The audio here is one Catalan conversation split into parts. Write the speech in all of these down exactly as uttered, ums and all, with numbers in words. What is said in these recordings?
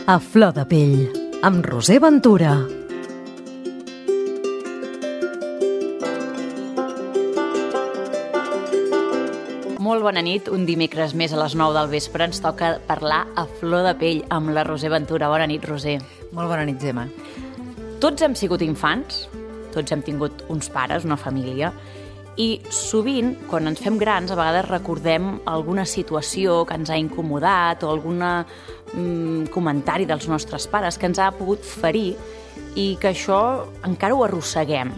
A flor de pell, amb Roser Ventura. Molt bona nit, un dimecres més a les nou del vespre ens toca parlar a flor de pell amb la Roser Ventura. Bona nit, Roser. Molt bona nit, Gemma. Tots hem sigut infants, tots hem tingut uns pares, una família, i sovint, quan ens fem grans, a vegades recordem alguna situació que ens ha incomodat o algun mm, comentari dels nostres pares que ens ha pogut ferir i que això encara ho arrosseguem,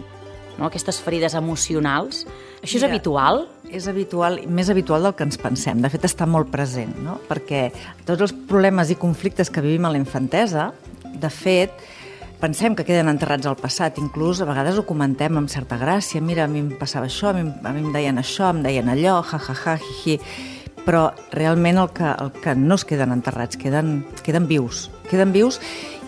no? Aquestes ferides emocionals. Això és Mira, habitual? És habitual, més habitual del que ens pensem. De fet, està molt present, no? Perquè tots els problemes i conflictes que vivim a la infantesa, de fet, pensem que queden enterrats al passat, inclús a vegades ho comentem amb certa gràcia. Mira, a mi em passava això, a mi, a mi em deien això, em deien allò, ja, ja, ja, hi, hi. Però realment el que, el que no es queden enterrats, queden, queden vius. Queden vius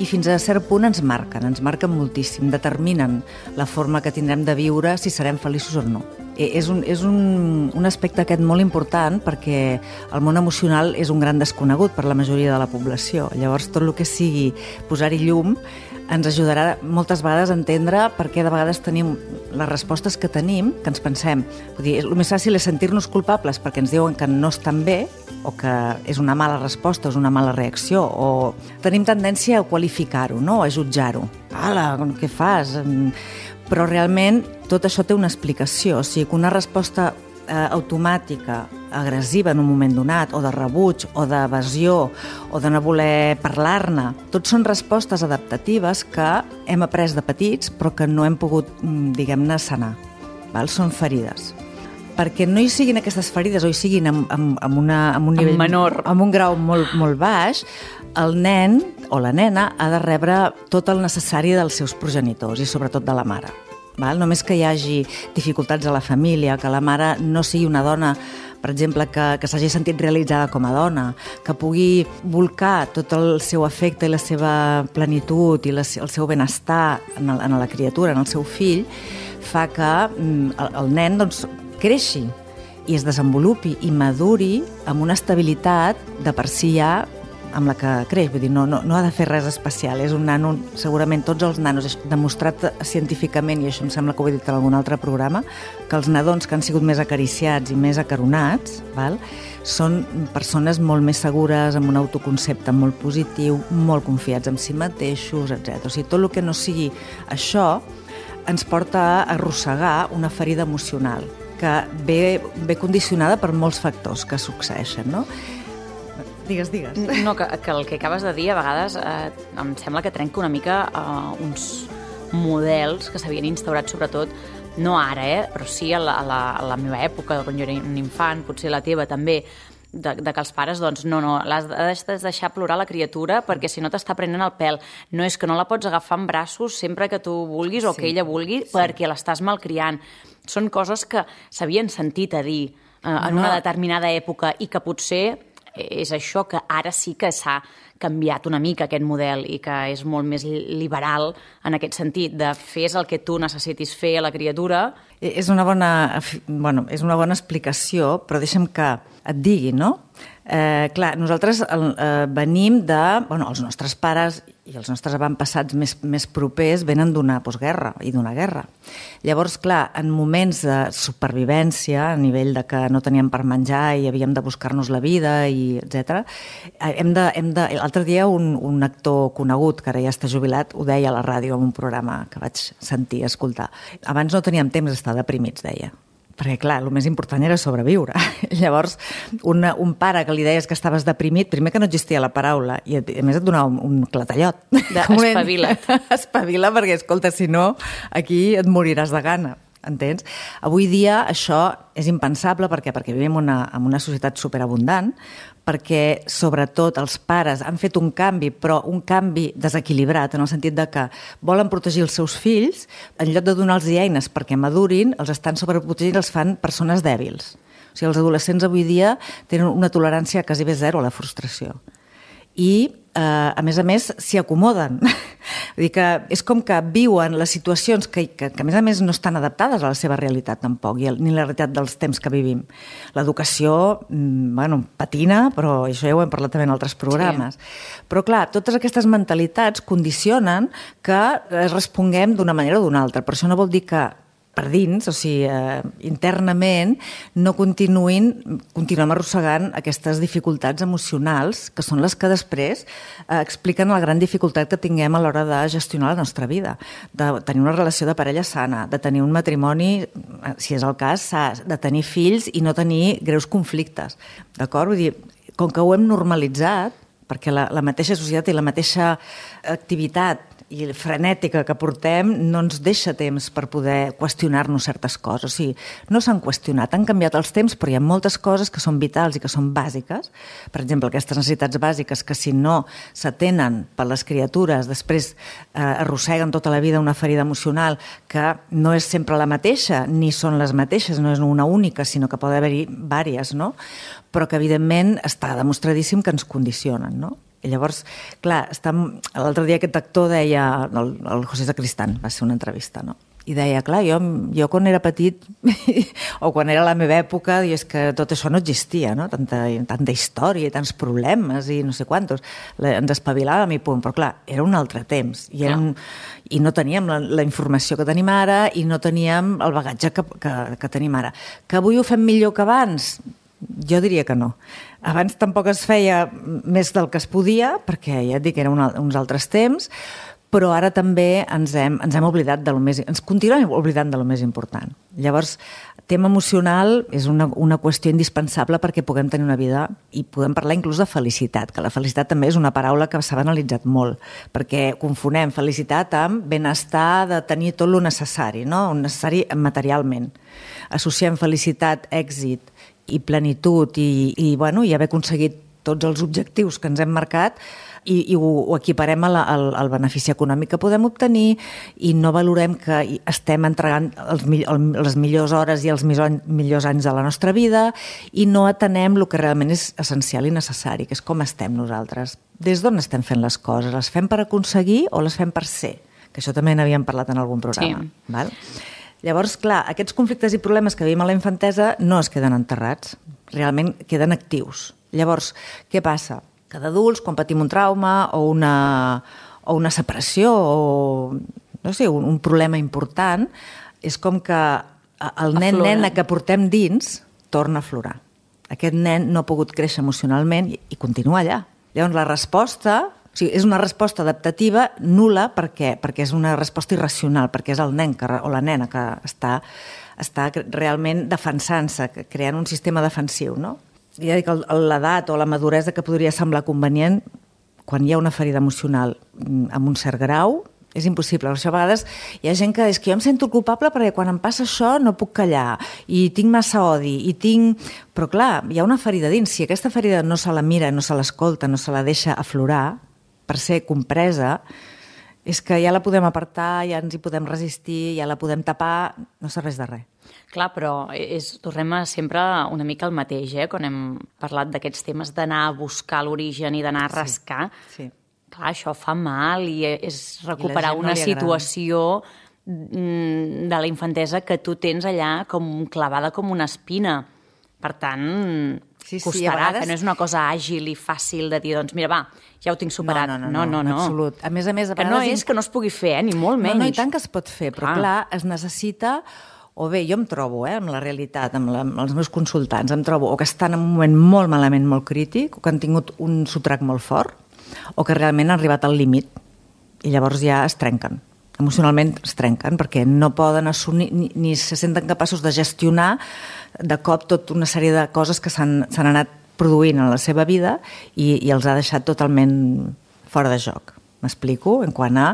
i fins a cert punt ens marquen, ens marquen moltíssim, determinen la forma que tindrem de viure, si serem feliços o no. És un, és un, un aspecte aquest molt important perquè el món emocional és un gran desconegut per la majoria de la població. Llavors, tot el que sigui posar-hi llum ens ajudarà moltes vegades a entendre per què de vegades tenim les respostes que tenim, que ens pensem. Vull dir, el més fàcil és sentir-nos culpables perquè ens diuen que no estan bé o que és una mala resposta, és una mala reacció, o tenim tendència a qualificar-ho, no? A jutjar-ho. Ala, què fas? Però realment tot això té una explicació. O sigui, que una resposta eh, automàtica, agressiva en un moment donat, o de rebuig, o d'evasió, o de no voler parlar-ne, tot són respostes adaptatives que hem après de petits però que no hem pogut, diguem-ne, sanar. Val? Són ferides. Perquè no hi siguin aquestes ferides o hi siguin amb, amb, amb, una, amb un nivell menor, amb un grau molt, molt baix, el nen o la nena ha de rebre tot el necessari dels seus progenitors i sobretot de la mare. Val? Només que hi hagi dificultats a la família, que la mare no sigui una dona, per exemple, que, que s'hagi sentit realitzada com a dona, que pugui volcar tot el seu afecte i la seva plenitud i la, el seu benestar en, el, en la criatura, en el seu fill, fa que mm, el, el nen doncs, creixi i es desenvolupi i maduri amb una estabilitat de per si ja amb la que creix. Vull dir, no, no, no ha de fer res especial. És un nano, segurament tots els nanos, és demostrat científicament, i això em sembla que ho he dit en algun altre programa, que els nadons que han sigut més acariciats i més acaronats, val, són persones molt més segures, amb un autoconcepte molt positiu, molt confiats en si mateixos, etcètera. O sigui, tot el que no sigui això ens porta a arrossegar una ferida emocional que ve, ve condicionada per molts factors que succeeixen, no? Digues, digues. No, que, que el que acabes de dir a vegades eh, em sembla que trenca una mica eh, uns models que s'havien instaurat sobretot, no ara, eh, però sí a la, a, la, a la meva època, quan jo era un infant, potser la teva també, de, de que els pares, doncs, no, no, l'has de deixar plorar la criatura perquè si no t'està prenent el pèl. No és que no la pots agafar en braços sempre que tu vulguis o sí, que ella vulgui, sí, perquè l'estàs malcriant. Són coses que s'havien sentit a dir eh, en no. una determinada època i que potser és això, que ara sí que s'ha canviat una mica aquest model i que és molt més liberal en aquest sentit, de fes el que tu necessitis fer a la criatura. És una bona, bueno, és una bona explicació, però deixa'm que et digui, no? Eh, clar, nosaltres eh, venim de... Bueno, els nostres pares i els nostres avantpassats més, més propers venen d'una postguerra i d'una guerra. Llavors, clar, en moments de supervivència, a nivell de que no teníem per menjar i havíem de buscar-nos la vida, i etcètera, hem de, hem de... L'altre dia un, un actor conegut, que ara ja està jubilat, ho deia a la ràdio en un programa que vaig sentir, escoltar. Abans no teníem temps d'estar deprimits, deia. Perquè, clar, el més important era sobreviure. Llavors, una, un pare que li deies que estaves deprimit, primer que no existia la paraula, i a més et donava un, un clatallot. Espavila't. Espavila, perquè, escolta, si no, aquí et moriràs de gana. Entens? Avui dia això és impensable perquè perquè vivim una, en una societat superabundant, perquè sobretot els pares han fet un canvi, però un canvi desequilibrat, en el sentit de que volen protegir els seus fills, en lloc de donar-los eines perquè madurin, els estan sobreprotegint i els fan persones dèbils. O sigui, els adolescents avui dia tenen una tolerància quasi bé zero a la frustració. i, eh, a més a més, s'hi acomoden. Vull dir que és com que viuen les situacions que, que, que, a més a més, no estan adaptades a la seva realitat, tampoc, i ni la realitat dels temps que vivim. L'educació, bueno, patina, però això ja ho hem parlat també en altres programes. Sí. Però, clar, totes aquestes mentalitats condicionen que responguem d'una manera o d'una altra. Per això no vol dir que per dins, o sigui, eh, internament, no continuïn, continuem arrossegant aquestes dificultats emocionals, que són les que després eh, expliquen la gran dificultat que tinguem a l'hora de gestionar la nostra vida, de tenir una relació de parella sana, de tenir un matrimoni, si és el cas, de tenir fills i no tenir greus conflictes. D'acord? Vull dir, com que ho hem normalitzat, perquè la, la mateixa societat i la mateixa activitat i frenètica que portem no ens deixa temps per poder qüestionar-nos certes coses. O sigui, no s'han qüestionat, han canviat els temps, però hi ha moltes coses que són vitals i que són bàsiques. Per exemple, aquestes necessitats bàsiques que si no s'atenen per les criatures, després eh, arrosseguen tota la vida una ferida emocional que no és sempre la mateixa, ni són les mateixes, no és una única, sinó que pot haver-hi vàries, no? Però que evidentment està demostradíssim que ens condicionen, no? I llavors, clar, l'altre dia aquest actor deia, el, el José Sacristán, va ser una entrevista, no? I deia, clar, jo, jo quan era petit, o quan era la meva època, és que tot això no existia, no? Tanta, tanta història i tants problemes i no sé quantos. Ens espavilàvem i punt, però clar, era un altre temps. I, un, i no teníem la, la informació que tenim ara i no teníem el bagatge que, que, que tenim ara. Que avui ho fem millor que abans? Jo diria que no. Abans tampoc es feia més del que es podia, perquè ja et dic, eren uns altres temps, però ara també ens hem, ens hem oblidat de lo més... Ens continuem oblidant de lo més important. Llavors, tema emocional és una, una qüestió indispensable perquè puguem tenir una vida i podem parlar inclús de felicitat, que la felicitat també és una paraula que s'ha analitzat molt, perquè confonem felicitat amb benestar de tenir tot lo necessari, no? El necessari materialment. Associem felicitat, èxit i plenitud i, i, bueno, i haver aconseguit tots els objectius que ens hem marcat i, i ho, ho equiparem al, al, al benefici econòmic que podem obtenir i no valorem que estem entregant els, el, les millors hores i els millors anys de la nostra vida i no atenem el que realment és essencial i necessari, que és com estem nosaltres. Des d'on estem fent les coses? Les fem per aconseguir o les fem per ser? Que això també n'havíem parlat en algun programa. Sí. Val? Llavors, clar, aquests conflictes i problemes que vivim a la infantesa no es queden enterrats, realment queden actius. Llavors, què passa? Que d'adults, quan patim un trauma o una, o una separació o no sé, un, un problema important, és com que el nen-nena que portem dins torna a aflorar. Aquest nen no ha pogut créixer emocionalment i, i continua allà. Llavors, la resposta... O sigui, és una resposta adaptativa nul·la perquè, perquè és una resposta irracional, perquè és el nen que, o la nena que està, està realment defensant-se, creant un sistema defensiu, no? Ja dic, l'edat o la maduresa que podria semblar convenient, quan hi ha una ferida emocional amb un cert grau, és impossible. Per això a vegades hi ha gent que és que jo em sento culpable perquè quan em passa això no puc callar i tinc massa odi i tinc... Però clar, hi ha una ferida dins. Si aquesta ferida no se la mira, no se l'escolta, no se la deixa aflorar, per ser compresa, és que ja la podem apartar, ja ens hi podem resistir, ja la podem tapar, no serveix de res. Clar, però és, tornem a sempre una mica el mateix, eh? Quan hem parlat d'aquests temes d'anar a buscar l'origen i d'anar a rascar. Sí, sí. Clar, això fa mal i és recuperar I una no situació de la infantesa que tu tens allà com clavada com una espina. Per tant, sí, sí, costarà, vegades... que no és una cosa àgil i fàcil de dir, doncs mira, va, ja ho tinc superat. No, no, no, no, no, no. absolut. A més a més, a que no és que no es pugui fer, eh, ni molt menys. No, no, i tant que es pot fer, però ah. clar, es necessita... O bé, jo em trobo, eh, amb la realitat, amb, la, amb els meus consultants, em trobo o que estan en un moment molt malament, molt crític, o que han tingut un sotrac molt fort, o que realment han arribat al límit, i llavors ja es trenquen. Emocionalment es trenquen, perquè no poden assumir, ni, ni se senten capaços de gestionar de cop tota una sèrie de coses que s'han anat produint en la seva vida i, i els ha deixat totalment fora de joc. M'explico? En quant a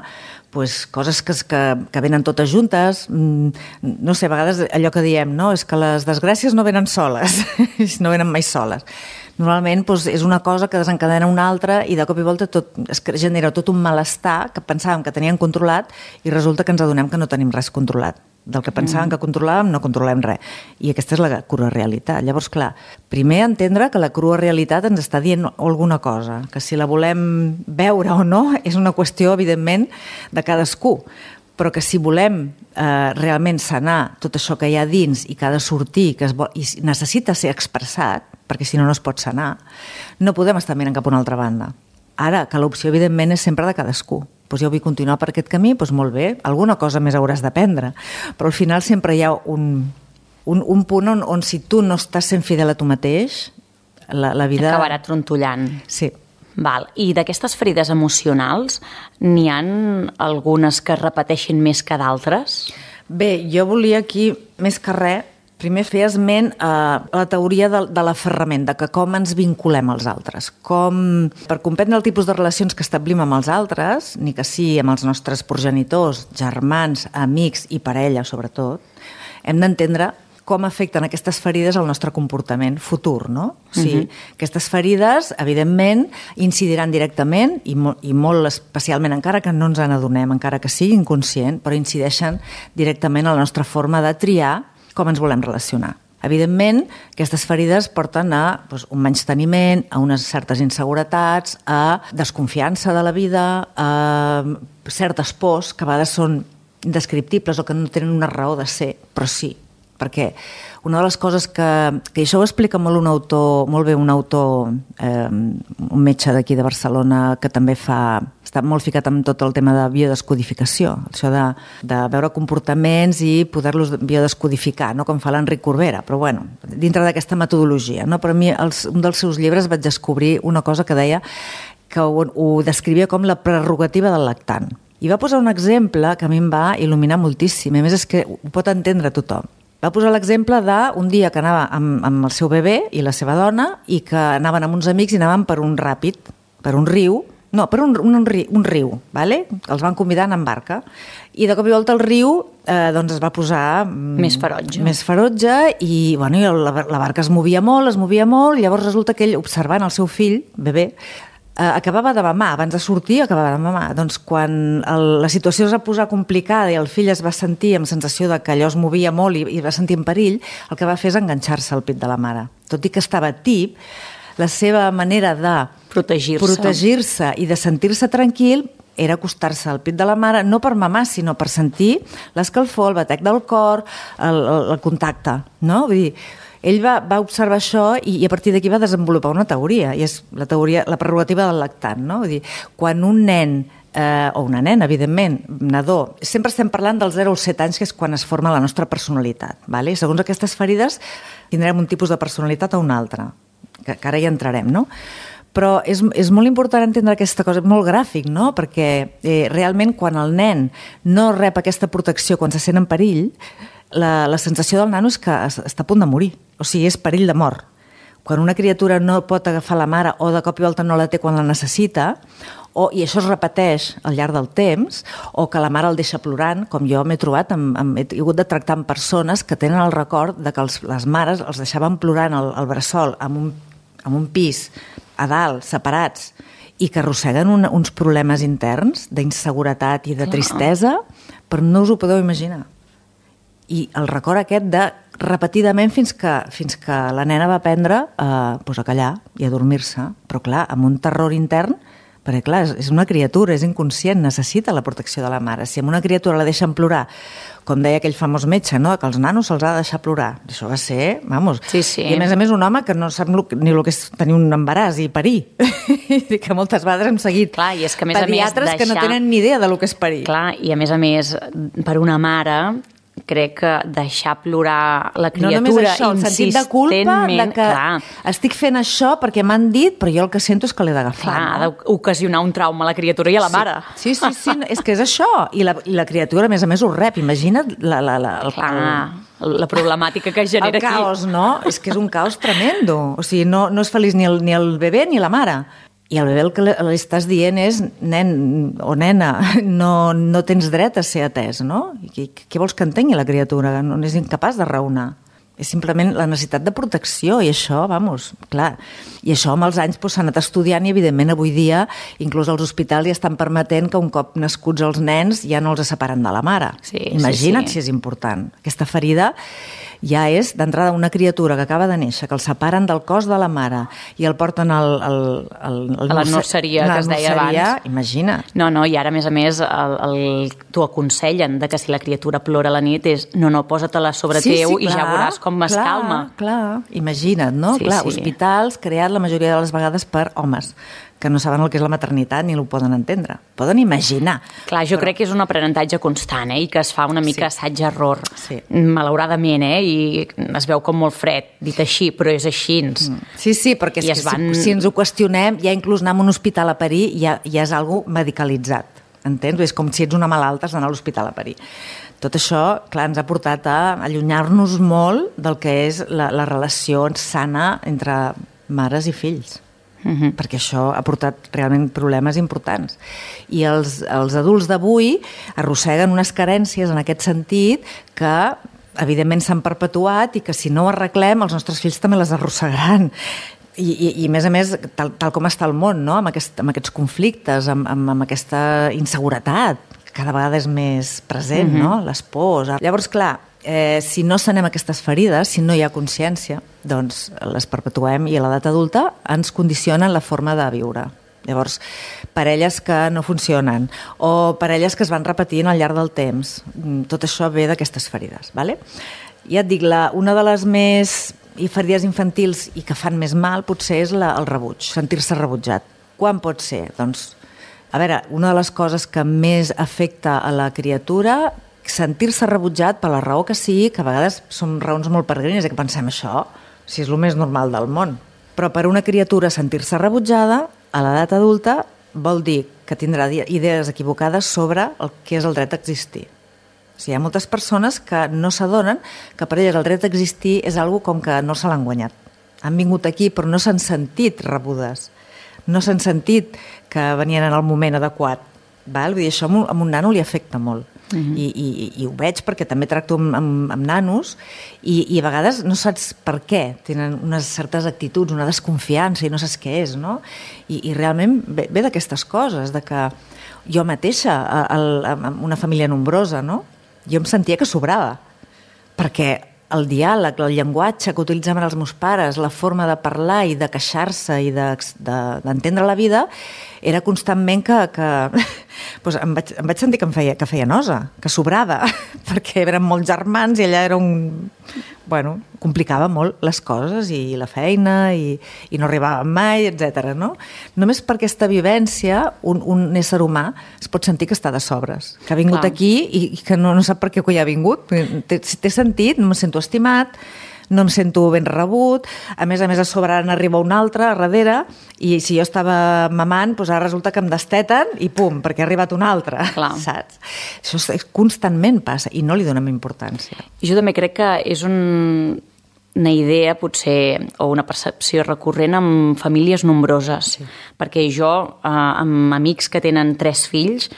pues, coses que, que, que venen totes juntes, no sé, a vegades allò que diem, no? És que les desgràcies no venen soles, no venen mai soles. normalment doncs, és una cosa que desencadena una altra i de cop i volta tot, es genera tot un malestar que pensàvem que teníem controlat i resulta que ens adonem que no tenim res controlat. Del que pensàvem mm. que controlàvem, no controlem res. I aquesta és la crua realitat. Llavors, clar, primer entendre que la crua realitat ens està dient alguna cosa, que si la volem veure o no és una qüestió, evidentment, de cadascú, però que si volem eh, realment sanar tot això que hi ha dins i que ha de sortir que es vol, i necessita ser expressat, perquè si no no es pot sanar, no podem estar mirant cap a una altra banda. Ara, que l'opció, evidentment, és sempre de cadascú. Doncs jo vull continuar per aquest camí, doncs molt bé, alguna cosa més hauràs d'aprendre. Però al final sempre hi ha un, un, un punt on, on si tu no estàs sent fidel a tu mateix, la, la vida... Acabarà trontollant. Sí. Val. I d'aquestes ferides emocionals, n'hi han algunes que es repeteixin més que d'altres? Bé, jo volia aquí, més que res, primer fer esment a la teoria de, de l'aferrament, de que com ens vinculem als altres. Com, per comprendre el tipus de relacions que establim amb els altres, ni que sí amb els nostres progenitors, germans, amics i parella, sobretot, hem d'entendre com afecten aquestes ferides al nostre comportament futur, no? O sigui, uh-huh. aquestes ferides, evidentment, incidiran directament i, mo- i molt especialment, encara que no ens n'adonem, encara que sigui inconscient, però incideixen directament a la nostra forma de triar com ens volem relacionar. Evidentment, aquestes ferides porten a doncs, un menysteniment, a unes certes inseguretats, a desconfiança de la vida, a certes pors que a vegades són indescriptibles o que no tenen una raó de ser, però sí, perquè una de les coses que, que això ho explica molt un autor, molt bé un autor, eh, un metge d'aquí de Barcelona que també fa, està molt ficat en tot el tema de biodescodificació, això de, de veure comportaments i poder-los biodescodificar, no? Com fa l'Enric Corbera, però bueno, dintre d'aquesta metodologia, no? Per mi, els, un dels seus llibres vaig descobrir una cosa que deia que ho, ho descrivia com la prerrogativa del lactant. I va posar un exemple que a mi em va il·luminar moltíssim, a més és que ho pot entendre tothom. Va posar l'exemple d'un dia que anava amb, amb el seu bebè i la seva dona i que anaven amb uns amics i anaven per un ràpid, per un riu, no, per un, un, un, riu, un riu, vale? Els van convidar a anar en barca. I de cop i volta el riu eh, doncs es va posar... Més ferotge. Més ferotge i, bueno, i la, la barca es movia molt, es movia molt, i llavors resulta que ell, observant el seu fill, bebè, Uh, acabava de mamar, abans de sortir acabava de mamar. Doncs quan el, la situació es va posar complicada i el fill es va sentir amb sensació de que allò es movia molt i, i va sentir en perill, el que va fer és enganxar-se al pit de la mare. Tot i que estava tip, la seva manera de protegir-se, protegir-se i de sentir-se tranquil era acostar-se al pit de la mare, no per mamar, sinó per sentir l'escalfor, el batec del cor, el, el, el contacte, no? Vull dir, ell va, va observar això i, i a partir d'aquí va desenvolupar una teoria, i és la teoria, la prerrogativa del lactant, no? Vull dir, quan un nen, eh, o una nena, evidentment, nadó, sempre estem parlant dels zero als set anys, que és quan es forma la nostra personalitat, vale? Segons aquestes ferides tindrem un tipus de personalitat o un altre, que, que ara hi entrarem, no? Però és, és molt important entendre aquesta cosa, molt gràfic, no? Perquè eh, realment quan el nen no rep aquesta protecció, quan se sent en perill, la, la sensació del nano és que està a punt de morir, o sigui, és perill de mort. Quan una criatura no pot agafar la mare o de cop i volta no la té quan la necessita, o, i això es repeteix al llarg del temps, o que la mare el deixa plorant, com jo m'he trobat, amb, amb, he hagut de tractar amb persones que tenen el record de que els, les mares els deixaven plorant al, al bressol en un, en un pis, a dalt, separats, i que arrosseguen un, uns problemes interns d'inseguretat i de tristesa, però no us ho podeu imaginar. I el record aquest de repetidament fins que, fins que la nena va aprendre a, pues a callar i a dormir-se, però clar, amb un terror intern, perquè clar, és una criatura, és inconscient, necessita la protecció de la mare. Si amb una criatura la deixen plorar, com deia aquell famós metge, no? Que els nanos se'ls ha de deixar plorar. Això va ser, vamos, sí, sí. I a més a més un home que no sap ni el que és tenir un embaràs i parir. I que moltes vegades hem seguit clar, i és que, a més pediatres a més, deixar... que no tenen ni idea de lo que és parir. Clar, i a més a més, per una mare... crec que deixar plorar la criatura no només això, el sentit de culpa de que clar, estic fent això perquè m'han dit, però jo el que sento és que l'he d'agafar. Clar, no? ha d'ocasionar un trauma a la criatura i a la sí. mare. Sí, sí, sí, és que és això. I la, i la criatura, a més a més, ho rep. Imagina't la, la, la, el, clar, la problemàtica que genera el caos, aquí. No? És que és un caos tremendo. O sigui, no, no és feliç ni el, ni el bebè ni la mare. I el bebè el que li estàs dient és, nen o nena, no, no tens dret a ser atès, no? I què, què vols que entengui la criatura? No és incapaç de raonar. És simplement la necessitat de protecció i això, vamos, clar. I això amb els anys doncs, s'ha anat estudiant i evidentment avui dia inclús els hospitals ja estan permetent que un cop nascuts els nens ja no els separen de la mare. Sí, Imagina't sí, sí. si és important. Aquesta ferida ja és d'entrada una criatura que acaba de néixer, que el separen del cos de la mare i el porten al, al, al, al a la nurseria que es deia abans. Imagina't. No, no, i ara a més a més el, el, t'ho aconsellen de que si la criatura plora a la nit és no, no, posa-te-la sobre sí, teu sí, i clar, ja veuràs com es clar, calma. Clar, imagina't, no? Sí, clar, sí. Hospitals creats la majoria de les vegades per homes que no saben el que és la maternitat ni ho poden entendre. Poden imaginar. Clar, jo però... crec que és un aprenentatge constant, eh? I que es fa una mica Sí. assaig-error. Sí. Malauradament, eh? I es veu com molt fred, dit així, però és així. Mm. Sí, sí, perquè és I que es van... si, si ens ho qüestionem, ja inclús anar a un hospital a parir ja, ja és algo medicalitzat. Entens? És com si ets una malalta, has d'anar a l'hospital a parir. Tot això, clar, ens ha portat a allunyar-nos molt del que és la, la relació sana entre mares i fills. Uh-huh. Perquè això ha portat realment problemes importants. I els, els adults d'avui arrosseguen unes carències en aquest sentit que evidentment s'han perpetuat i que si no ho arreglem els nostres fills també les arrossegaran. I, i, i a més a més, tal, tal com està el món, no? amb, aquest, amb aquests conflictes, amb, amb, amb aquesta inseguretat, que cada vegada és més present, uh-huh. no? Les pors. Llavors, clar, eh, si no sanem aquestes ferides, si no hi ha consciència, doncs les perpetuem i a l'edat adulta ens condicionen la forma de viure. Llavors, parelles que no funcionen o parelles que es van repetint al llarg del temps, tot això ve d'aquestes ferides. Vale? Ja et dic, la, una de les més i ferides infantils i que fan més mal potser és la, el rebuig, sentir-se rebutjat. Quan pot ser? Doncs, a veure, una de les coses que més afecta a la criatura, sentir-se rebutjat per la raó que sigui, que a vegades són raons molt peregrines, i que pensem això, si és el més normal del món. Però per una criatura sentir-se rebutjada, a l'edat adulta, vol dir que tindrà idees equivocades sobre el que és el dret a existir. O sigui, hi ha moltes persones que no s'adonen que per elles el dret a existir és algo com que no se l'han guanyat. Han vingut aquí però no s'han sentit rebudes, no s'han sentit que venien en el moment adequat. Val? Vull dir, això a un nano li afecta molt. Uh-huh. I, i, i ho veig perquè també tracto amb, amb, amb nanos i, i a vegades no saps per què tenen unes certes actituds, una desconfiança i no saps què és, no? I, i realment ve, ve d'aquestes coses, de que jo mateixa, a, a, a una família nombrosa, no? Jo em sentia que sobrava, perquè el diàleg, el llenguatge que utilitzaven els meus pares, la forma de parlar i de queixar-se i d'entendre de, de, la vida, era constantment que, que doncs em, vaig, em vaig sentir que em feia, que feia nosa, que sobrava, perquè eren molts germans i ella era un... Bueno, complicava molt les coses i la feina i, i no arribava mai, etcètera. No? Només per aquesta vivència un, un ésser humà es pot sentir que està de sobres, que ha vingut Clar. aquí i, i que no, no sap per què hi ha vingut. Té, té sentit, no me sento estimat, no em sento ben rebut, a més a més a sobre n'arriba un altre a darrere i si jo estava mamant, doncs ara resulta que em desteten i pum, perquè ha arribat un altre, Clar. saps? Això constantment passa i no li donem importància. Jo també crec que és un, una idea potser o una percepció recurrent amb famílies nombroses, sí. perquè jo, eh, amb amics que tenen tres fills,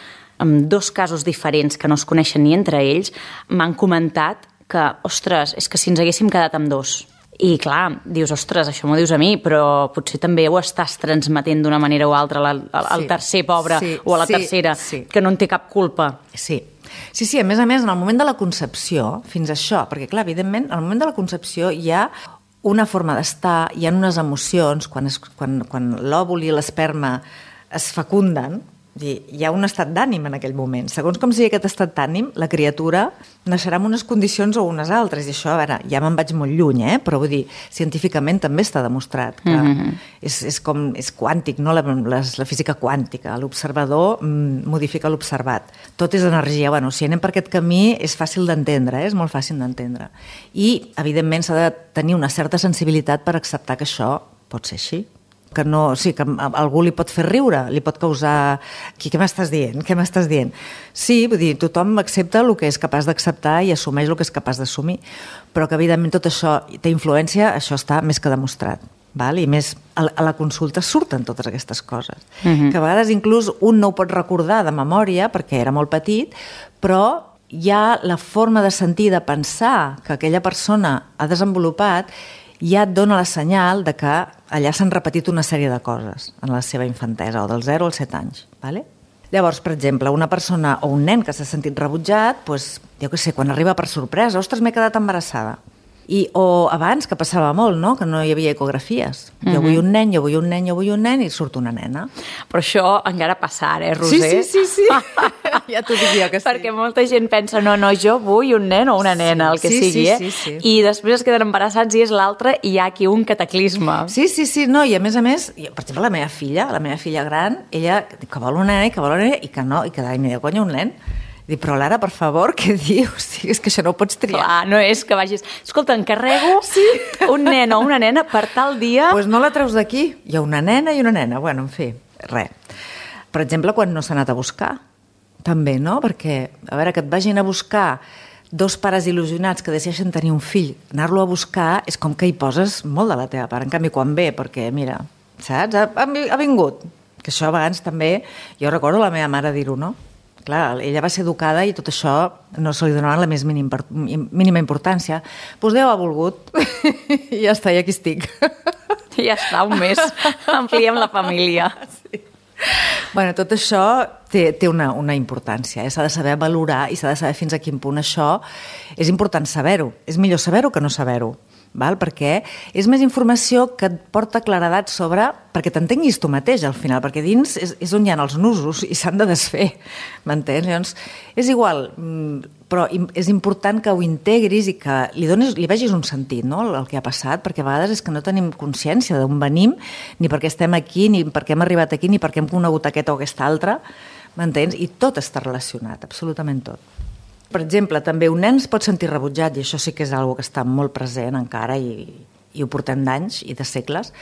amb dos casos diferents que no es coneixen ni entre ells, m'han comentat que, ostres, és que si ens haguéssim quedat amb dos. I clar, dius, ostres, això m'ho dius a mi, però potser també ho estàs transmetent d'una manera o altra al, al sí. tercer pobre sí. o a la sí. tercera, sí. que no en té cap culpa. Sí. Sí, sí, a més a més, en el moment de la concepció, fins a això, perquè clar, evidentment, en el moment de la concepció hi ha una forma d'estar, hi ha unes emocions, quan, es, quan, quan l'òvul i l'esperma es fecunden, hi ha un estat d'ànim en aquell moment. Segons com sigui aquest estat d'ànim, la criatura naixerà en unes condicions o unes altres. I això, a veure, ja me'n vaig molt lluny, eh? Però vull dir, científicament també està demostrat que mm-hmm. és, és com, és quàntic, no? La, la, la física quàntica. L'observador mm, modifica l'observat. Tot és energia. Bueno, si anem per aquest camí és fàcil d'entendre, eh? És molt fàcil d'entendre. I, evidentment, s'ha de tenir una certa sensibilitat per acceptar que això pot ser així. Que no, sí, que a algú li pot fer riure, li pot causar... Què, què m'estàs dient? Què m'estàs dient? Sí, vull dir, tothom accepta el que és capaç d'acceptar i assumeix el que és capaç d'assumir, però que evidentment tot això té influència, això està més que demostrat. Val? I més, a la consulta surten totes aquestes coses. Uh-huh. Que a vegades inclús un no ho pot recordar de memòria perquè era molt petit, però ja la forma de sentir, de pensar que aquella persona ha desenvolupat, ja et dona la senyal de que allà s'han repetit una sèrie de coses en la seva infantesa, o dels zero als set anys. Vale? Llavors, per exemple, una persona o un nen que s'ha sentit rebutjat, doncs, jo què sé, quan arriba per sorpresa, ostres, m'he quedat embarassada. I, o abans, que passava molt, no? Que no hi havia ecografies. Mm-hmm. Jo vull un nen, jo vull un nen, jo vull un nen, i surt una nena. Però això encara passa ara, eh, Roser? Sí, sí, sí, sí. Ja t'ho dic jo que sí. Perquè molta gent pensa, no, no, jo vull un nen o una nena, el que sí, sigui, sí, eh? sí, sí. I després es queden embarassats i és l'altre, i hi ha aquí un cataclisme. Sí, sí, sí, no, i a més a més, per exemple, la meva filla, la meva filla gran, ella que vol una nena i que vol una nena, i que no, i que d'any me diu, conya, un nen. Dic, però Lara, per favor, què dius? Sí, és que això no ho pots triar. Clar, no és que vagis... Escolta, encarrego sí. un nen o una nena per tal dia... Doncs pues no la treus d'aquí. Hi ha una nena i una nena. Bueno, en fi, res. Per exemple, quan no s'ha anat a buscar, també, no? Perquè, a veure, que et vagin a buscar dos pares il·lusionats que decideixen tenir un fill, anar-lo a buscar és com que hi poses molt de la teva part. En canvi, quan ve, perquè, mira, saps? Ha, ha vingut. Que això a vegades també... Jo recordo la meva mare dir-ho, no? Clar, ella va ser educada i tot això no se li donava la més mínima, mínima importància. Doncs Déu ha volgut i ja està, i aquí estic. I ja està, un mes. Ampliem la família. Sí. Bueno, tot això té, té una, una importància. Eh? S'ha de saber valorar i s'ha de saber fins a quin punt això és important saber-ho. És millor saber-ho que no saber-ho. Val? Perquè és més informació que et porta claredat sobre... perquè t'entenguis tu mateix al final, perquè dins és, és on hi ha els nusos i s'han de desfer, m'entens? Llavors, és igual, però és important que ho integris i que li, donis, li vegis un sentit, no?, el que ha passat, perquè a vegades és que no tenim consciència d'on venim, ni per què estem aquí, ni per què hem arribat aquí, ni per què hem conegut aquest o aquesta altra, m'entens? I tot està relacionat, absolutament tot. Per exemple, també un nen es pot sentir rebutjat, i això sí que és una cosa que està molt present encara, i, i ho portem d'anys i de segles,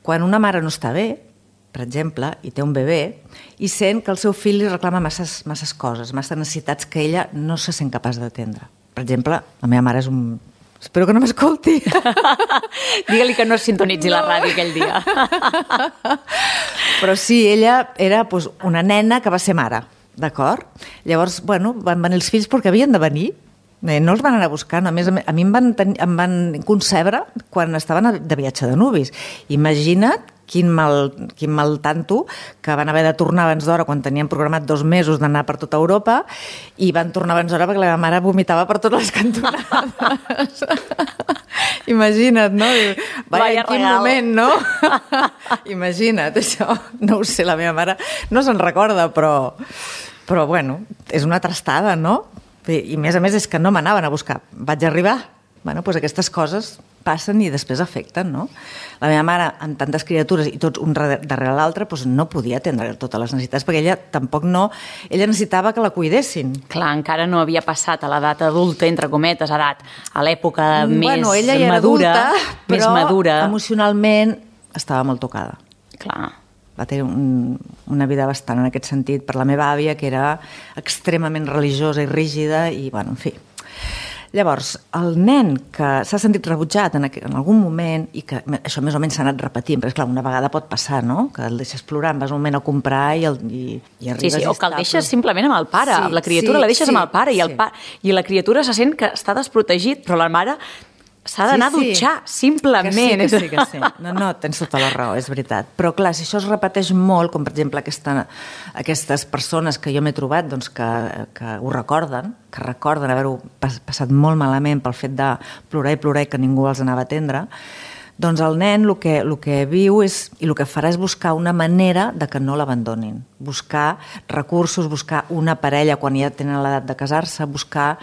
quan una mare no està bé, per exemple, i té un bebè, i sent que el seu fill li reclama masses, masses coses, masses necessitats que ella no se sent capaç d'atendre. Per exemple, la meva mare és un... Espero que no m'escolti. Digue-li que no es sintonitzi no. la ràdio aquell dia. Però sí, ella era doncs, una nena que va ser mare. D'acord? Llavors, bueno, van venir els fills perquè havien de venir. No els van anar a buscar. A més, a mi em van, ten... em van concebre quan estaven de viatge de nuvis. Imagina't quin mal, quin mal tanto que van haver de tornar abans d'hora quan tenien programat dos mesos d'anar per tota Europa i van tornar abans d'hora perquè la meva mare vomitava per totes les cantonades. Imagina't, no? Vaya, en quin regal. Moment, no? Imagina't, això. No ho sé, la meva mare no se'n recorda, però, però bueno, és una trastada, no? I a més a més és que no m'anaven a buscar. Vaig arribar. Bueno, doncs aquestes coses passen i després afecten, no? La meva mare, amb tantes criatures i tots un darrere l'altre, doncs no podia atendre totes les necessitats, perquè ella tampoc no... Ella necessitava que la cuidessin. Clar, encara no havia passat a l'edat adulta, entre cometes, edat, a l'època bueno, més ella ja era madura, adulta, però més madura. Emocionalment estava molt tocada. Clar. Va tenir un, una vida bastant en aquest sentit per la meva àvia, que era extremament religiosa i rígida, i, bueno, en fi... Llavors, el nen que s'ha sentit rebutjat en, en algun moment, i que això més o menys s'ha anat repetint, perquè, clar, una vegada pot passar, no?, que el deixes plorar, vas un moment a comprar i, el, i, i arribes... Sí, sí, o que el deixes simplement amb el pare, sí, amb la criatura sí, la deixes sí, amb el pare, i, el sí. pa... i la criatura se sent que està desprotegit, però la mare s'ha d'anar sí, sí. a dutxar, simplement. Que sí, que sí, que sí. No, no, tens tota la raó, és veritat. Però, clar, si això es repeteix molt, com per exemple aquesta, aquestes persones que jo m'he trobat doncs, que, que ho recorden, que recorden haver-ho passat molt malament pel fet de plorar i plorar i que ningú els anava a atendre, doncs el nen el que, el que viu és, i el que farà és buscar una manera de que no l'abandonin. Buscar recursos, buscar una parella quan ja tenen l'edat de casar-se, buscar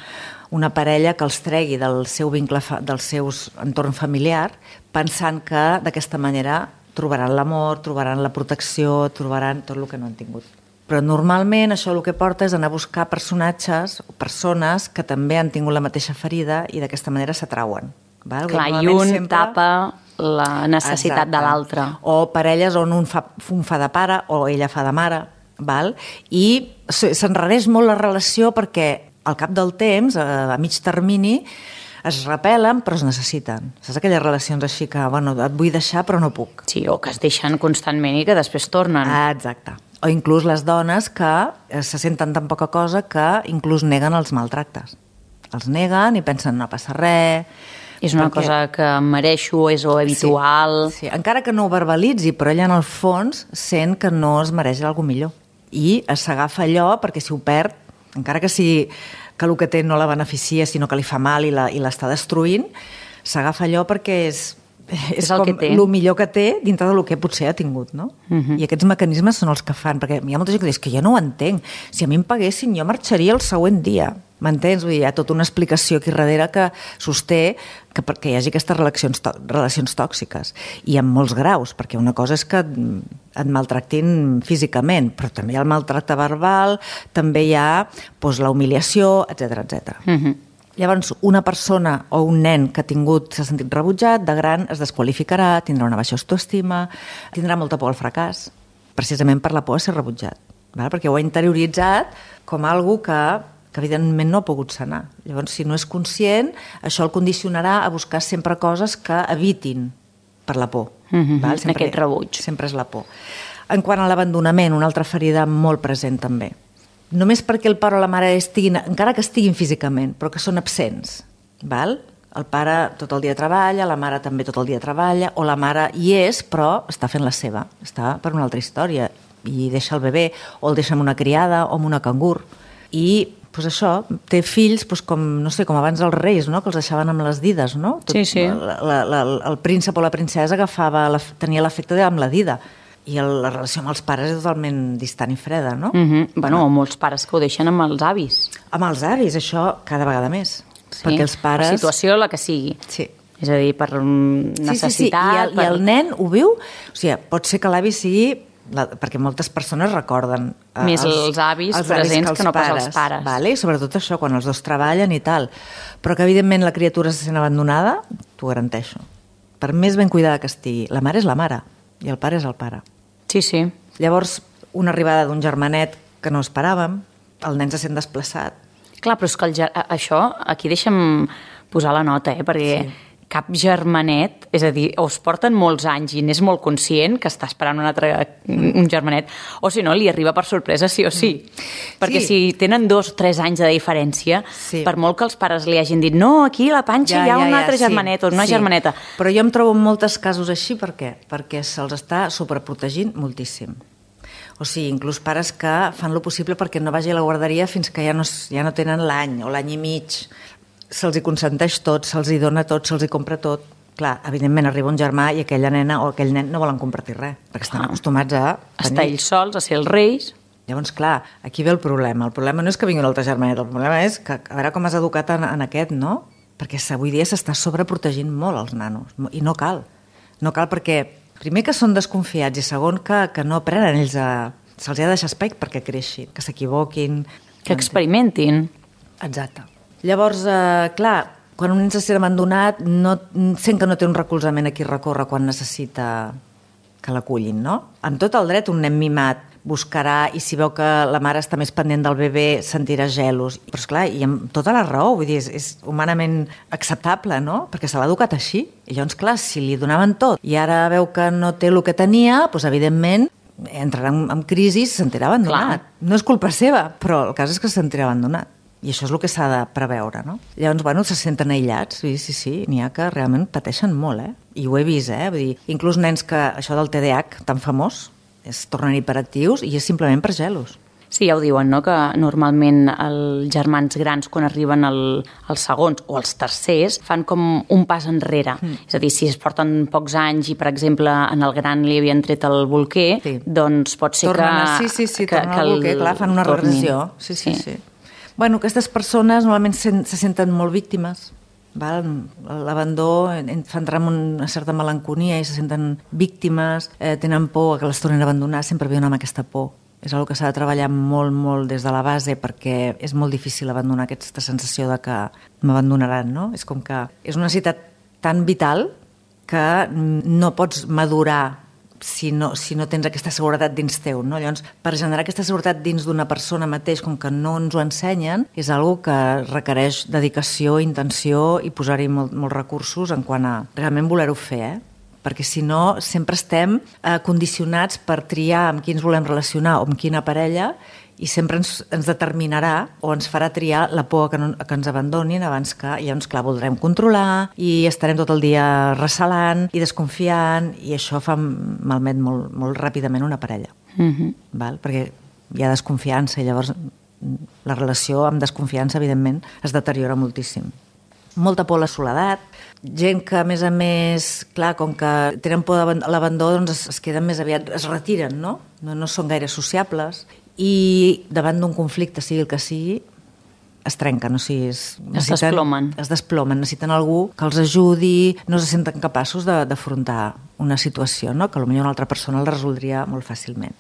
una parella que els tregui del seu vincle, del seu entorn familiar, pensant que d'aquesta manera trobaran l'amor, trobaran la protecció, trobaran tot el que no han tingut. Però normalment això el que porta és anar a buscar personatges o persones que també han tingut la mateixa ferida i d'aquesta manera s'atrauen. Val? Clar, i un sempre... tapa la necessitat Exacte. De l'altre. O parelles on un fa, un fa de pare o ella fa de mare, val? I s'enrareix molt la relació perquè al cap del temps, a mig termini, es repel·len però es necessiten. Saps aquelles relacions així que, bueno, et vull deixar però no puc. Sí, o que es deixen constantment i que després tornen. Ah, exacte. O inclús les dones que se senten tan poca cosa que inclús neguen els maltractes. Els neguen i pensen no passa res. És una perquè... cosa que mereixo, és o habitual... Sí, sí, encara que no ho verbalitzi, però ella en el fons sent que no es mereix alguna millor. I s'agafa allò perquè si ho perd, encara que sigui que el que té no la beneficia, sinó que li fa mal i l'està destruint, s'agafa allò perquè és, és, és el com el millor que té dintre del que potser ha tingut, no? Uh-huh. I aquests mecanismes són els que fan, perquè hi ha molta gent que diu que jo no ho entenc. Si a mi em paguessin, jo marxaria el següent dia. M'entens? Vull dir, hi ha tota una explicació aquí darrere que sosté que perquè hi hagi aquestes relacions, relacions tòxiques. I en molts graus, perquè una cosa és que et maltractin físicament, però també hi ha el maltracte verbal, també hi ha doncs, la humiliació, etcètera, etcètera. Uh-huh. Llavors, una persona o un nen que ha tingut, s'ha sentit rebutjat, de gran es desqualificarà, tindrà una baixa autoestima, tindrà molta por al fracàs, precisament per la por a ser rebutjat, val? Perquè ho ha interioritzat com algo que que evidentment no ha pogut sanar. Llavors, si no és conscient, això el condicionarà a buscar sempre coses que evitin per la por. Mm-hmm. Val? Sempre, aquest rebuig. Sempre és la por. En quant a l'abandonament, una altra ferida molt present també. Només perquè el pare o la mare estiguin, encara que estiguin físicament, però que són absents. Val? El pare tot el dia treballa, la mare també tot el dia treballa, o la mare hi és, però està fent la seva, està per una altra història, i deixa el bebè, o el deixa amb una criada, o amb una cangur. I pues això, té fills pues com, no sé, com abans els reis, no? Que els deixaven amb les dides, no? Tot, sí, sí. La, la, la, el príncep o la princesa agafava, la, tenia l'efecte amb la dida. I el, la relació amb els pares és totalment distant i freda, no? Mm-hmm. Bueno, o molts pares que ho deixen amb els avis. Amb els avis, això cada vegada més. Sí. Perquè els pares... La situació la que sigui. Sí. És a dir, per necessitat... Sí, sí, sí. I, el, per... I el nen ho viu... O sigui, pot ser que l'avi sigui... La, perquè moltes persones recorden eh, més els, els avis els presents avis que, que no pas els pares, vale? Sobretot això, quan els dos treballen i tal, però que evidentment la criatura se sent abandonada, t'ho garanteixo, per més ben cuidada que estigui, la mare és la mare i el pare és el pare. Sí, sí. Llavors, una arribada d'un germanet que no esperàvem, el nen se sent desplaçat. Clar, però és que el, això, aquí deixa'm posar la nota, eh, perquè sí. Cap germanet, és a dir, o es porten molts anys i n'és molt conscient que està esperant un altre un germanet, o si no, li arriba per sorpresa sí o sí. Perquè sí. Si tenen dos o tres anys de diferència, sí. Per molt que els pares li hagin dit no, aquí a la panxa ja, hi ha ja, un altre ja, germanet sí. O una sí. Germaneta. Però jo em trobo en molts casos així, per què? Perquè se'ls està sobreprotegint moltíssim. O sigui, inclús pares que fan lo possible perquè no vagi a la guarderia fins que ja no, ja no tenen l'any o l'any i mig. Se'ls hi consenteix tot, se'ls hi dona tot, se'ls hi compra tot. Clar, evidentment arriba un germà i aquella nena o aquell nen no volen compartir res, perquè estan ah. acostumats a... Estar ells sols, a ser els reis. Llavors, clar, aquí ve el problema. El problema no és que vingui un altre germanet, el problema és que a veure com has educat en, en aquest, no? Perquè avui dia s'està sobreprotegint molt els nanos, i no cal. No cal perquè, primer que són desconfiats i segon que, que no aprenen ells a... Se'ls ha de deixar espai perquè creixin, que s'equivoquin... Que experimentin. Exacte. Llavors, eh, clar, quan un nen se sent abandonat, no, sent que no té un recolzament a qui recórrer quan necessita que l'acullin, no? Amb tot el dret, un nen mimat buscarà i si veu que la mare està més pendent del bebè sentirà gelos. Però, esclar, i amb tota la raó, vull dir, és, és humanament acceptable, no? Perquè se l'ha educat així. I llavors, clar, si li donaven tot i ara veu que no té el que tenia, doncs, evidentment, entrarà en, en crisi i se sentirà abandonat. Clar. No és culpa seva, però el cas és que se sentirà abandonat. I això és el que s'ha de preveure, no? Llavors, bueno, se senten aïllats, sí, sí, sí, n'hi ha que realment pateixen molt, eh? I ho he vist, eh? Vull dir, inclús nens que això del T D A H tan famós es tornen hiperactius i és simplement per gelos. Sí, ja ho diuen, no?, que normalment els germans grans, quan arriben al, als segons o als tercers, fan com un pas enrere. Mm. És a dir, si es porten pocs anys i, per exemple, en el gran li havien tret el bolquer, sí. Doncs pot ser tornen, que... Sí, sí, sí, que, tornen al bolquer, clar, fan una regressió. Sí, sí, sí. sí. Bueno, aquestes persones normalment se, se senten molt víctimes. L'abandó fa entrar en una certa melanconia i se senten víctimes, eh, tenen por que les tornin a abandonar, sempre viuen amb aquesta por. És una cosa que s'ha de treballar molt, molt des de la base perquè és molt difícil abandonar aquesta sensació de que m'abandonaran, no? És com que és una necessitat tan vital que no pots madurar si no, si no tens aquesta seguretat dins teu, no? Llavors, per generar aquesta seguretat dins d'una persona mateix, com que no ens ho ensenyen, és algo que requereix dedicació, intenció i posar-hi molt, molts recursos en quant a realment voler-ho fer, eh? perquè si no sempre estem eh, condicionats per triar amb qui ens volem relacionar o amb quina parella, i sempre ens, ens determinarà o ens farà triar la por que, no, que ens abandonin abans que, llavors, clar, voldrem controlar i estarem tot el dia recelant i desconfiant, i això fa malmet molt, molt ràpidament una parella. Mm-hmm. Val? Perquè hi ha desconfiança i llavors la relació amb desconfiança, evidentment, es deteriora moltíssim. Molta por a la soledat, gent que, a més a més, clar, com que tenen por a l'abandó, doncs es, es queden més aviat, es retiren, no? No, no són gaire sociables, i davant d'un conflicte, sigui el que sigui, es trenquen, o sigui, es, es desplomen. Es desplomen, necessiten algú que els ajudi, no se senten capaços d'afrontar una situació, no? Que potser una altra persona el resoldria molt fàcilment.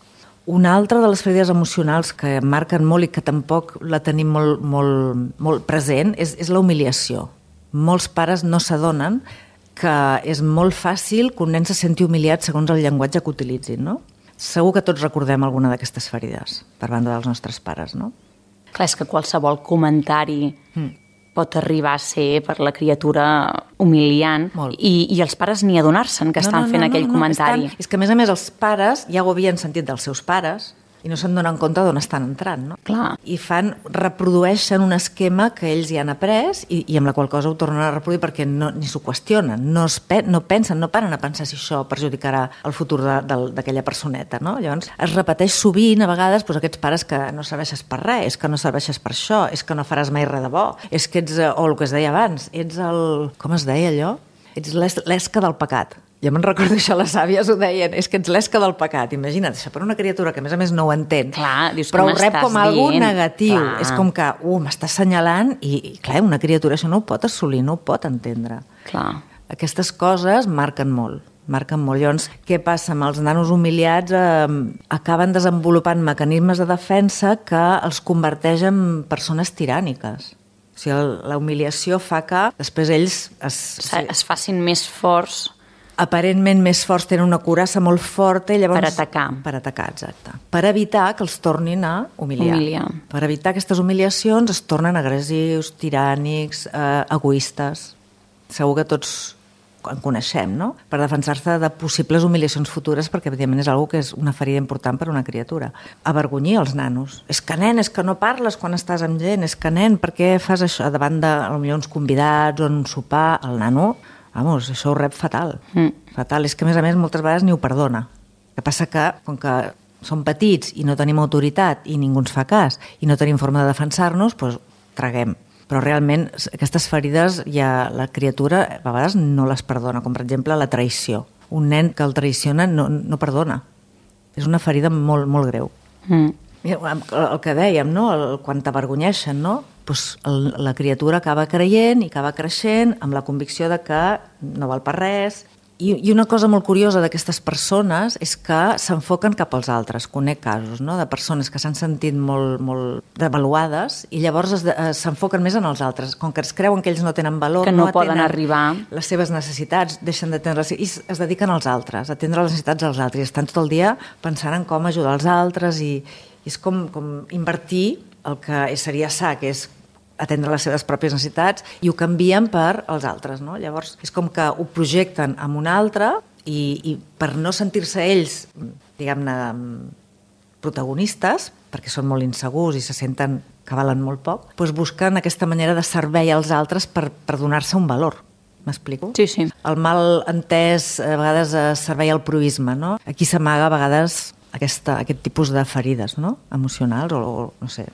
Una altra de les ferides emocionals que marquen molt i que tampoc la tenim molt, molt, molt present és, és la humiliació. Molts pares no s'adonen que és molt fàcil que un nen se senti humiliat segons el llenguatge que utilitzin, no? Segur que tots recordem alguna d'aquestes ferides per banda dels nostres pares, no? Clar, és que qualsevol comentari mm. pot arribar a ser per la criatura humiliant i, i els pares ni adonar-se'n que no, estan no, no, fent no, aquell no, comentari. Estan... És que, a més a més, els pares ja ho havien sentit dels seus pares i no se'n donen compte d'on estan entrant, no? Clar. I fan, reprodueixen un esquema que ells ja han après i, i amb la qual cosa ho tornen a reproduir perquè no, ni s'ho qüestionen, no, es pe no pensen, no paren a pensar si això perjudicarà el futur d'aquella personeta, no? Llavors es repeteix sovint, a vegades, doncs, aquests pares que no serveixes per res, és que no serveixes per això, és que no faràs mai res de bo, és que ets, o el que es deia abans, ets el... com es deia allò? Ets l'esca del pecat. Jo me'n recordo això, les àvies ho deien, és que ets l'esca del pecat. Imagina't, això per una criatura que a més a més no ho entén, clar, dius, però ho rep com algo dient? Negatiu. Clar. És com que, uh, m'està assenyalant i, i, clar, una criatura això no ho pot assolir, no ho pot entendre. Clar. Aquestes coses marquen molt, marquen molt. Llavors, què passa amb els nanos humiliats? Eh, acaben desenvolupant mecanismes de defensa que els converteix en persones tiràniques. O sigui, la humiliació fa que després ells es, es facin més forts, aparentment més forts, tenen una coraça molt forta i llavors... Per atacar. Per atacar, exacte. Per evitar que els tornin a humiliar. Humiliar. Per evitar aquestes humiliacions es tornen agressius, tirànics, eh, egoistes. Segur que tots en coneixem, no? Per defensar-se de possibles humiliacions futures, perquè evidentment és una que és una ferida important per a una criatura. Avergonyir els nanos. És que, nen, és que no parles quan estàs amb gent, és que, nen, per què fas això davant de potser uns convidats o en un sopar? El nano... Vamos, això ho rep fatal. Mm. Fatal. És que, a més a més, moltes vegades ni ho perdona. El que passa que, com que som petits i no tenim autoritat i ningú ens fa cas i no tenim forma de defensar-nos, doncs traguem. Però realment aquestes ferides ja la criatura a vegades no les perdona, com per exemple la traïció. Un nen que el traïciona no, no perdona. És una ferida molt, molt greu. Mm. El que dèiem, no? El, quan t'avergonyeixen, no? Pues el, la criatura acaba creient i acaba creixent amb la convicció de que no val per res. I, i una cosa molt curiosa d'aquestes persones és que s'enfoquen cap als altres. Conec casos, no?, de persones que s'han sentit molt, molt devaluades i llavors s'enfoquen més en els altres. Com que es creuen que ells no tenen valor, que no, no poden arribar, les seves necessitats, deixen d'atendre les... i es dediquen als altres, a atendre les necessitats dels altres. I estan tot el dia pensant en com ajudar els altres i, i és com, com invertir el que seria sa, que és atendre les seves pròpies necessitats, i ho canvien per als altres, no? Llavors, és com que ho projecten amb un altre i, i per no sentir-se ells, diguem-ne, protagonistes, perquè són molt insegurs i se senten que valen molt poc, doncs busquen aquesta manera de servei als altres per, per donar-se un valor. M'explico? Sí, sí. El mal entès, a vegades, servei al proisme, no? Aquí s'amaga, a vegades, aquesta, aquest tipus de ferides, no?, emocionals, o, o no sé...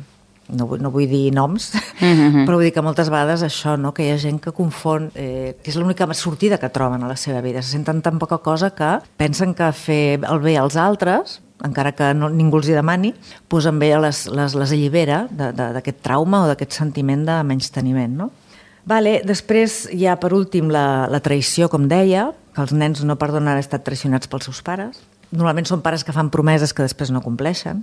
No vull, no vull dir noms, mm-hmm. però vull dir que moltes vegades això, no?, que hi ha gent que confon, eh, que és l'única sortida que troben a la seva vida. Se senten tan poca cosa que pensen que fer el bé als altres, encara que no, ningú els hi demani, doncs amb ella les, les, les allibera d'aquest trauma o d'aquest sentiment de menysteniment, no? Vale, després hi ha, per últim, la, la traïció, com deia, que els nens no perdonen haver estat traicionats pels seus pares. Normalment són pares que fan promeses que després no compleixen,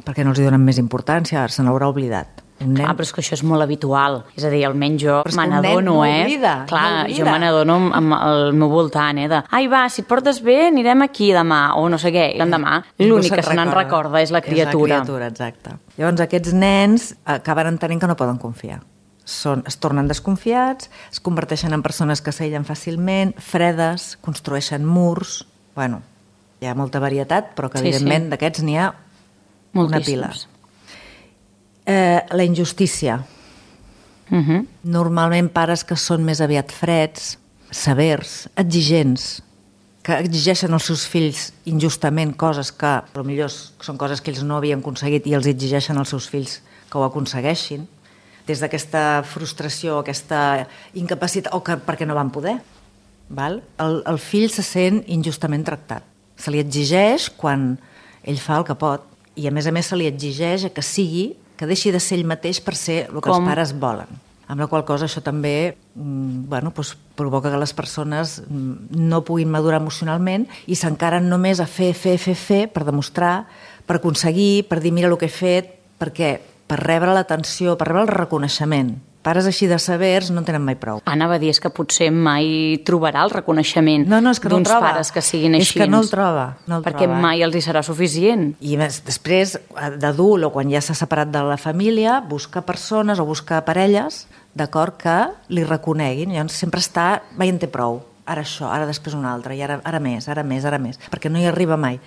perquè no els hi donen més importància, se n'haurà oblidat. Un nen... Ah, però és que això és molt habitual. És a dir, almenys jo me n'adono, no eh? Oblida, Clar, no oblida. Jo me n'adono amb el meu voltant, eh? De, ai, va, si et portes bé, anirem aquí demà, o no sé què. I l'endemà, l'únic que se n'en recorda és la criatura. És la criatura, exacte. Llavors, aquests nens acaben entenent que no poden confiar. O són, es tornen desconfiats, es converteixen en persones que s'aïllen fàcilment, fredes, construeixen murs... Bueno, hi ha molta varietat, però que Sí, evidentment sí. d'aquests n'hi ha una pila. Moltíssims. Eh, la injustícia. Mhm. Normalment pares que són més aviat freds, severs, exigents, que exigeixen als seus fills injustament coses que potser són coses que ells no havien aconseguit i els exigeixen als seus fills que ho aconsegueixin, des d'aquesta frustració, aquesta incapacitat, o que perquè no van poder. Val? El, el fill se sent injustament tractat. Se li exigeix quan ell fa el que pot, i a més a més se li exigeix que sigui, que deixi de ser ell mateix per ser el que Com? els pares volen. Amb la qual cosa això també mm, bueno, doncs provoca que les persones mm, no puguin madurar emocionalment i s'encaren només a fer, fer, fer, fer per demostrar, per aconseguir, per dir mira el que he fet, perquè per rebre l'atenció, per rebre el reconeixement. Pares així de severs no en tenen mai prou. Anava a dir, és que potser mai trobarà el reconeixement No, no, és que no el d'uns troba. pares que siguin És així. que no el troba, no el perquè troba. mai els hi serà suficient. I més, després, d'adult o quan ja s'ha separat de la família, busca persones o busca parelles, d'acord, que li reconeguin. Llavors sempre està, va, ja en té prou, ara això, ara després un altre, i ara, ara més, ara més, ara més, perquè no hi arriba mai.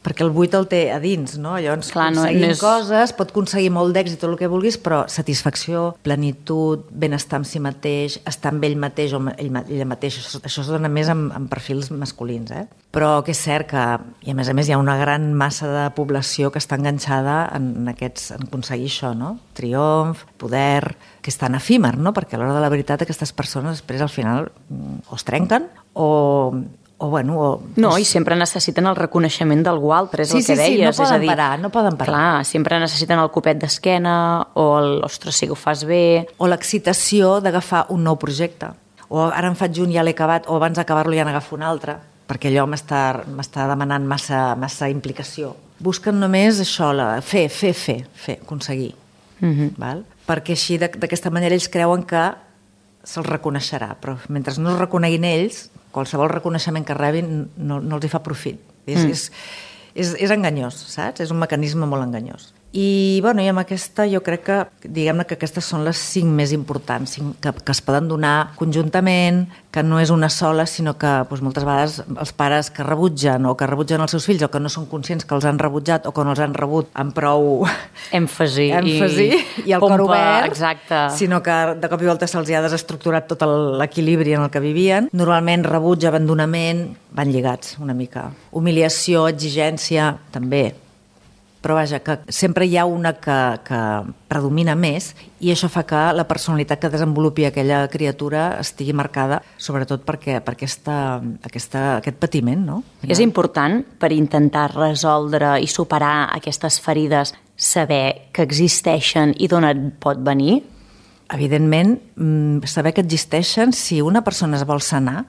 Perquè el buit el té a dins, no? Llavors, Clar, no- aconseguint no és- coses, pot aconseguir molt d'èxit, tot el que vulguis, però satisfacció, plenitud, benestar amb si mateix, estar amb ell mateix o ell, ma- ella mateixa, això, això es dona més amb, amb perfils masculins, eh? Però que és cert que, i a més a més, hi ha una gran massa de població que està enganxada en, en, aquests, en aconseguir això, no? Triomf, poder, que és tan efímer, no? Perquè a l'hora de la veritat aquestes persones després al final mm, o es trenquen o... o bueno, o, No, i sempre necessiten el reconeixement d'algú altre, és Sí, el que sí, sí, deies. no poden és a dir, parar, no poden parar. Clar, sempre necessiten el copet d'esquena o el, ostres, sí que ho fas bé. o l'excitació d'agafar un nou projecte. O ara en faig un, ja l'he acabat, o abans d'acabar-lo ja n'agafo un altre, perquè allò m'està m'està demanant massa, massa implicació. Busquen només això, la, fer, fer, fer, fer, aconseguir. Mhm. Val? Perquè així, d'ac- d'aquesta manera, ells creuen que se'ls reconeixerà, però mentre no es reconeguin ells, qualsevol reconeixement que rebin no, no els hi fa profit. És, Mm. és, és, és enganyós, saps? És un mecanisme molt enganyós. I, bueno, i amb aquesta jo crec que, diguem-ne que aquestes són les cinc més importants, cinc que, que es poden donar conjuntament, que no és una sola, sinó que doncs, moltes vegades els pares que rebutgen o que rebutgen els seus fills o que no són conscients que els han rebutjat o que no els han rebut amb prou Èmfasi, èmfasi i, el pompa, cor obert, exacte. sinó que de cop i volta se'ls ha desestructurat tot el- l'equilibri en el que vivien. Normalment rebuig, abandonament, van lligats una mica. Humiliació, exigència, també. Però vaja, que sempre hi ha una que, que predomina més i això fa que la personalitat que desenvolupi aquella criatura estigui marcada sobretot perquè, per aquesta, aquesta, aquest patiment, no? És important, per intentar resoldre i superar aquestes ferides, saber que existeixen i d'on et pot venir? Evidentment, mm, saber que existeixen, si una persona es vol sanar,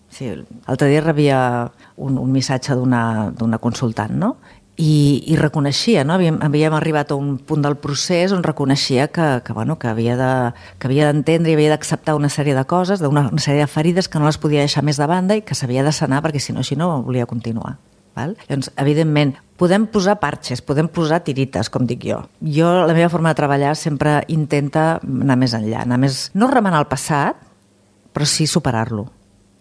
sí, l'altre dia rebia un, un missatge d'una d'una consultant, no? I, i reconeixia, no? Havíem, havíem arribat a un punt del procés on reconeixia que, que, bueno, que havia de, que havia d'entendre i havia d'acceptar una sèrie de coses, d'una una sèrie de ferides que no les podia deixar més de banda i que s'havia de sanar perquè si no, així no volia continuar. Val? Llavors, evidentment, podem posar parxes, podem posar tirites, com dic jo. Jo, la meva forma de treballar sempre intenta anar més enllà, anar més, no remenar el passat, però sí superar-lo.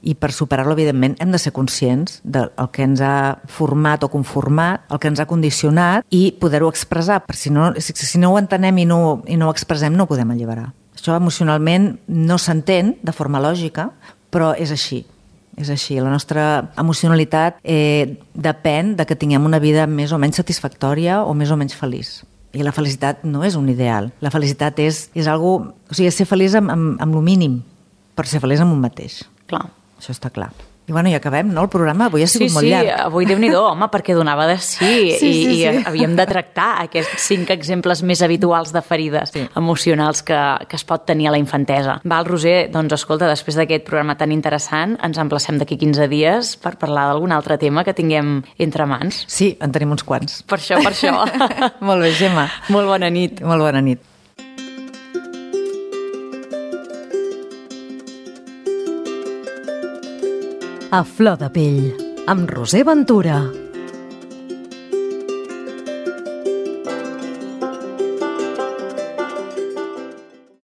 I per superar-lo, evidentment, hem de ser conscients del que ens ha format o conformat, el que ens ha condicionat i poder-ho expressar, perquè si no, si no ho entenem i no, i no ho expressem no ho podem alliberar. Això emocionalment no s'entén de forma lògica, però és així. És així. La nostra emocionalitat eh, depèn de que tinguem una vida més o menys satisfactòria o més o menys feliç. I la felicitat no és un ideal. La felicitat és, és algo, o sigui, és ser feliç amb, amb, amb lo mínim, però ser feliç amb un mateix. Clar. Això està clar. I bueno, i acabem, no? El programa avui ha sigut sí, molt sí, llarg. Sí, avui Déu-n'hi-do, home, perquè donava de sí, Sí, sí, i, sí. i havíem de tractar aquests cinc exemples més habituals de ferides Sí. emocionals que, que es pot tenir a la infantesa. Val, Roser, doncs escolta, després d'aquest programa tan interessant, ens emplacem d'aquí quinze dies per parlar d'algun altre tema que tinguem entre mans. Sí, en tenim uns quants. Per això, per això. Molt bé, Gemma. Molt bona nit. Molt bona nit. A flor de pell, amb Roser Ventura.